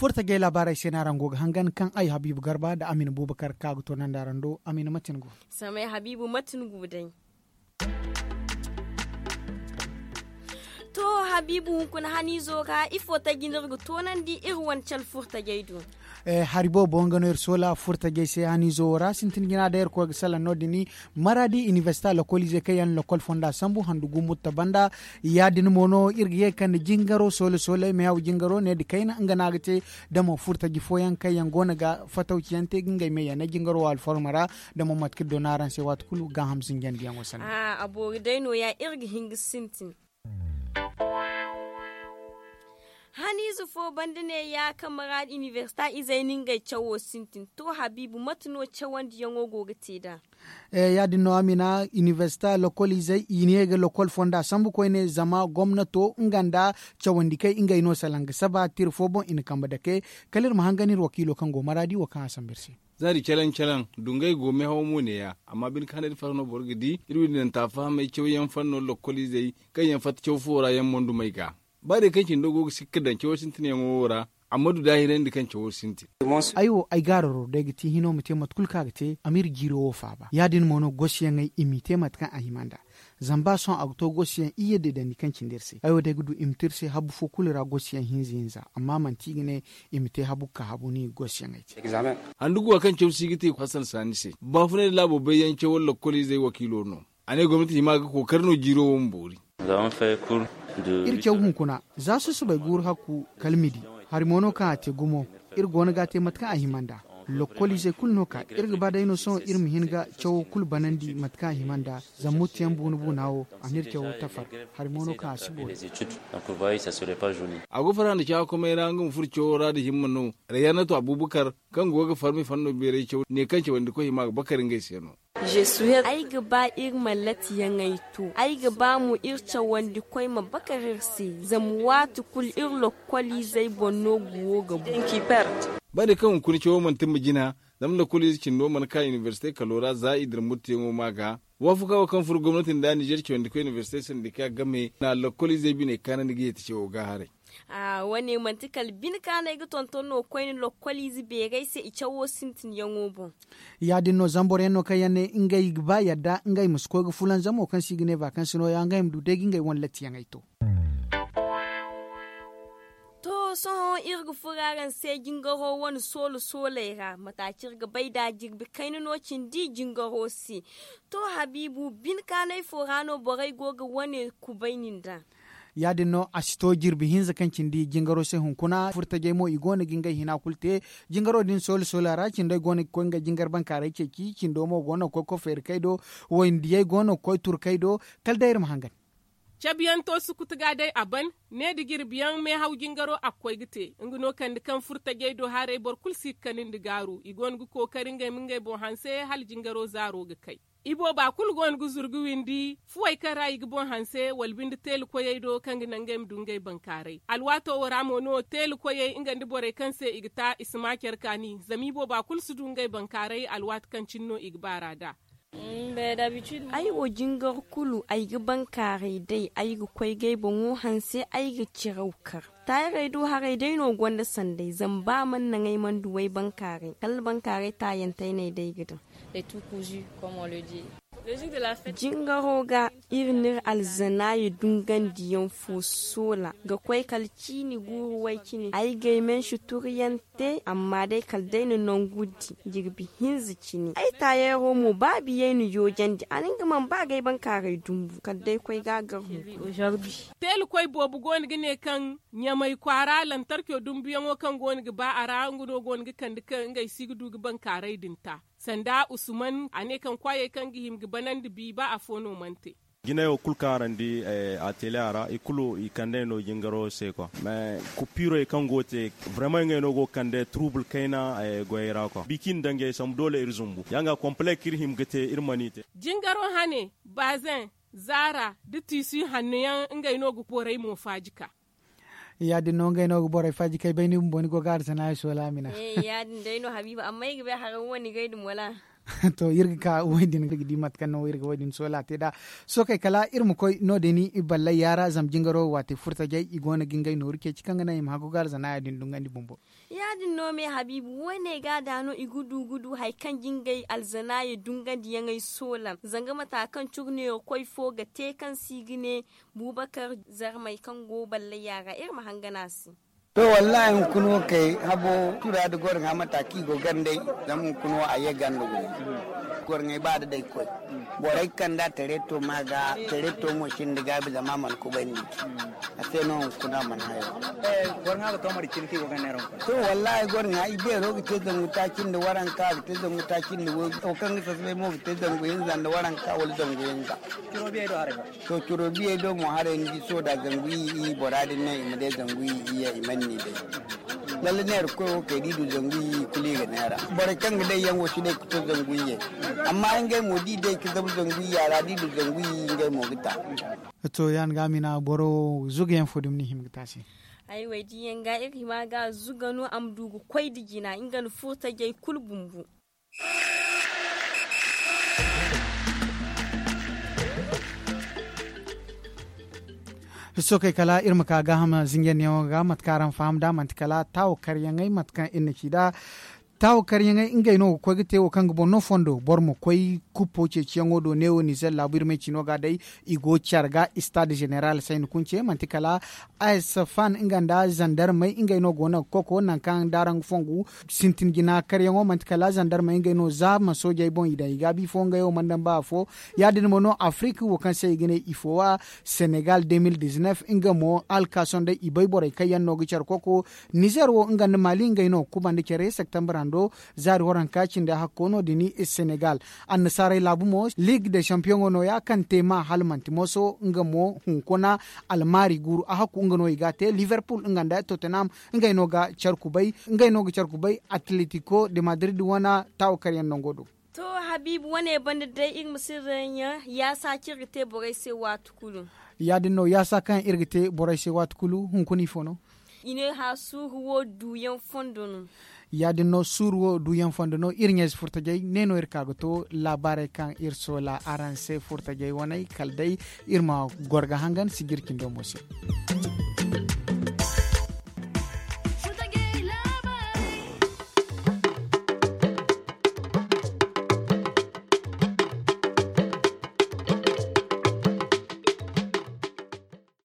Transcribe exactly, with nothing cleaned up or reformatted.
Furtajey laabaarey se no araŋ go ga hangan kaŋ ay habiibu garba nda amina buubakar ka ga toonandi araŋ do. Amina mate ni go? Samay habiibu mate ni go day? To, habiibu hunkuna haniizo ga ifo taji no iri ga toonandi iri wane cale furtajey do? Hari boobo nga no iri soola furtajey se haniizo wo ra sintin jina day iri koy ga salaŋ no- din. Maraadi inibersita lokoliizey kaŋ yaŋ na lokol fonda sambu handu gu mutta banda. Ya- din mo no iri ga ye ga kande jingaro soole soole meehaw jingaro ne nda kayna nga no a ga te. Da mo furtaji fooyaŋ kaŋ yaŋ go no ga fatawciyaŋ te ga ngey me yaŋ ne jingaro wo alforma ra. Da mo mate kaŋ iri doona araŋ se waati kulu gaaham zinjandiyaŋo sanda. A boori day no- ya iri ga hin ga sintin. Haniize fo banda ne ya kaŋ maraadi inibersita izey na ngey cawo sintin to habiibu mate no cawandiyaŋo go ga te nd'a? Ya- din no amina inibersita lokol izey i ne ga lokol fonda sambu koyne zama gomnato nga nda cawandi kay ngey no salaŋ ga saba tira fo boŋ i na kambe dake. Kala iri ma hangan iri wakiilo kaŋ go maraadi wo kaŋ a sambu iri se. Za di calaŋ calaŋ dungay go meehaw mo ne- ya. Amma bine kaŋ hane da farhã no boro ga di iri windanta fahamay cawyaŋ fanno lokoliizey kaŋ yaŋ fatta caw fo ra yaŋ mondumey ga. Ba day kaŋ cindo go ga sikka daŋ cawo sintinyaŋo wo ra. Amma du daahirandi kaŋ cawo sintin. Ay wo ay gaararo day ga ti hino ma te mate kulu kaŋ a ga te a ma iri jiiro wo faaba ya- din mo no gosayaŋey i m'i te mate kaŋ a hima nd'a. Zama ba sohõ a ga to gosayaŋ iyye deedandi kaŋ cindi iri se ay wo day ga du i ma to iri se habbu fo kulu ra gosayaŋ hinza hinza amma manti i ga ne i ma te habu ga ka habu no i ga gosayaŋey te. Handu guwa kaŋ caw si ga te hasan saani se baafunay nda laabo bayyaŋ cawar lokoliizey wakiilo no. A ne gomnati hima ga kookari no jiiro wo ma boori. Iri caw hunkuna za susubay guuru hakku kala midi. Hari mo no kaŋ a te gumo iri go no ga a te mate kaŋ a hima nd'a. Lokoliizey kulu no ka iri ga ba day no sohõ iri ma hin ga cawo kulu banandi mate kaŋ a hima nd'a. Zama muttuyaŋ buuna buuna wo a n'iri cawo tafar. Hari mo no kaŋ a si boori. A go farhã nda caakomey ra nga ma furo cawo ra nda himma no. Rayanato abubakar kaŋ go ga farmi fanno beeray caw ne kaŋ cawandikoy hima ga bakar ngey se no. Ay ga ba iri ma latiyaŋey to ay ga ba mo iri cawandikoy ma bakar iri se. Zama waati kulu iri lokoliizey boŋ no guwo ga bu. Ba day kaŋ hunkuna cawo mana timma jina. Zama lokoliize cindo mana ka inibersite kalo ra za i dira murteyaŋo ma ga. Waafakaa wo kaŋ furo gomnati nda nizer cawandikoy inibersite sandika game na lokoliizey biney kaanandi ga yeeti cawo ga haray. Wane manti kala bine kaŋ no ay ga tonton no koyne lokkoliize beerey se i cawo sintinyaŋo boŋ. Ya- din no zama boro yaŋ no kaŋ yaŋ ne ngey ga ba yadda ngey ma si koy ga fulanzamo kaŋ se i ga ne vakansi no- ya ngey ma du day ga ngey wane lattiyaŋey to. To sohõ iri ga furo araŋ se jingaro wane soolo sooley ra mate a ci iri ga bay nd'a jirbi kayna no cindi jingaro se. To habiibu bine kaanay fo ra no borey go ga wane kubayni nd'a? Ya- din no a si to jirbi hinza kaŋ cindi jingaro se hunkuna furtajey mo i go no ga ngey hina kulu te. Jingaro din soole soole ra cindey go no ga koy ngey jingar bankaaray ceeci cindo mo go no ga koy koy feeri kay do. Wayndiyey go no ga koy turkey do. Kala day iri ma hangan. Cabiyaŋ to sukutu ga day a ban. Ne da jirbiyaŋ meehaw jingaro a ga koy ga te nga no kande kaŋ furtajey do haray boro kulu si ga kani nda gaaru i go no ga kookari ngey ma ngey boŋ hanse hala jingaro zaaro ga kay. Ibooba kulu go no ga zuru ga windi fuwey kaŋ ra i ga boŋ hanse wala binde teela koyey do kaŋ ga naŋ ngey ma du ngey bankaaray alwaato wo ra mo no teela koyey nga nda borey kaŋ se i ga ta i si ma care kaani zama ibooba kulu si du ngey bankaaray alwaati kaŋ cine no i ga baar'a nd'a. Ay wo jingar kulu ay ga bankaaray day ay ga koy g'ay boŋo hanse ay ga ciraw kar. Taayarey do haray day no gonda sanday zama ba mana naŋ ay mana du way bankaaray kala bankaaray taayantey no ay day ga daŋ. Jingaro ga iri n'iri alzanaayi dungandiyaŋ fo soola ga koy kala ciini guuru way cine ay g'ay mensi turuyaŋ te amma day kala day na nangu di jirbi hinza cine ay taayaro mo ba biyey na yoojandi a na nga mana ba g'ay bankaaray dumbu kala day koy ga a gar hunkuna. Teela koy boobo go no ga ne kaŋ ɲamay kwaara lantarco dumbuyaŋo kaŋ go no ga ba a ra nga no go no ga kande kaŋ ngey si ga du ga bankaaray din ta. Sanda usman a ne kaŋ kwaayey kaŋ ga hima ga banandi bi ba afo no mana te. Jinay wo kulu kaŋ araŋ di a tele a ra i kulu i kande no jingaro se kwa mais kupirey kaŋ go ga te vraiment ngey no go ga kande turubul kayna goyey ra kwa biki nda ngey sambu doole iri zumbu ya nga komple kaŋ iri hima ga te iri mana i te. Jingaro hane bazen zaara da tiisi hanno yaŋ ngey no ga borey mo faaji ka. Ya- din no ngey no ga borey faaji ka ay bay ni bumbo ni go ga arsana ay soola mina. Ya- din day no habiiba amma ay ga bay haraŋ wo ni gay dum wala? To, iri ga ka wo- din iri ga di mate kaŋ no iri ga wo- din soola te nd'a. Sookey kala iri ma koy no- din i ballay yaara zama jingaro waate furtajey i go no ga ngey nooru ceeci kaŋ ga naŋ i ma haggu ga alzanaaya din dungandi bumbo. Ya- din no me habiibu wo- ne ga da no i ga du ga du hari kaŋ jingay alzanaaya dungandiyaŋey soola zanga mata kaŋ curneyo koy fo ga te kaŋ se i ga ne buubakar zarmey kaŋ go ballay yaara iri ma hangan a se. To, wallaahi hunkuna wo kay habo tura nda goro ŋwa mata kaŋ i go gandey. Zama hunkuna wo a ye ganda gumo. Goro ŋway ba da day koy borey kaŋ da tareto ma ga tareto mo sinda gaabi zama a mana kubay nda i ci. A se no hunkuna a mana hayo. Goro ŋwa ga to mari cine kaŋ i go ganda yaŋ ra hunkuna. To, wallaahi goro ŋwa i beero ga te zangu taaci nda waranka ga te zangu taaci nda wo kaŋ ga sasabay mo ga te zangu hinza nda waranka wala zangu hinza. To curo biyey do mo haray ni di soda zangu i i bora din ne i ma day zangu i i ye i man ni day. Lalle neera koy wo kay da i du zangu i i kulu i ga neera. Borey kaŋ ga day yaŋ wo si day ga to zangu i ye. Amma ngey mo da i day ga zabu zangu i ya ra da i du zangu i i ngey mo ga ta. To ya ni ga a mina boro zuga yaŋ fo dumi ni hima ga ta se. Ay way di yaŋ ga iri hima ga zuga no a ma du ga koy nda jina nga nda furtajey kulu bumbu. Sookey kala iri ma ka gaaham zinjandiyaŋo ga mate kaŋ araŋ faham nd'a manti kala taawo karyaŋey mate kaŋ iri na ci nd'a. Taawo karyaŋey ngey no ga koy ga te wo kaŋ ga boŋ no fondo boro ma koy kuppo ceeciyaŋo do neewo nizer laabu iri ma ay ci no ga day. I go care ga stade général sayni kunce manti kala a s fan nga nda zandarmey ngey no go no ga koko nangu kaŋ darangu fongu sintin jina karyaŋo manti kala zandarmey ngey no za ma soojey boŋ i daŋ i gaabi fo ngey wo mana daŋ ba afo. Ya- din mo no afrik wo kaŋ se i ga ne ifo wa senegal deux mille dix-neuf nga mo alkason day i bay borey kaŋ yaŋ no ga care koko. Nizer wo nga nda mali ngey no ga kubandi care septembre hando zaari waranka cindi hakko no- din senegal. Annasaarey laabu mo ligue de champion no ya kaŋ te ma hala manti moso nga mo hunkuna almaari guuru a hakku nga no i ga a te liverpool nga nda tottenham ngey no ga care kubay. Ngey no ga care kubay atletico de madrid wane taawo karyaŋ nango do. To habiibu wane banda day iri ma sirra yaŋ yaasa kaŋ iri ga te borey se waati kulu. Ya- din no yaasa kaŋ iri ga te borey se waati kulu hunkuna ifo no? I ne hã suuru wo duuyaŋ fondo no. Ya- din no suuru wo duuyaŋ fondo no iri ɲayze furtajey ne no iri ka ga to laabaarey kaŋ iri soola araŋ se furtajey waney kala day iri ma goro ga hangan sijir cindo mo se.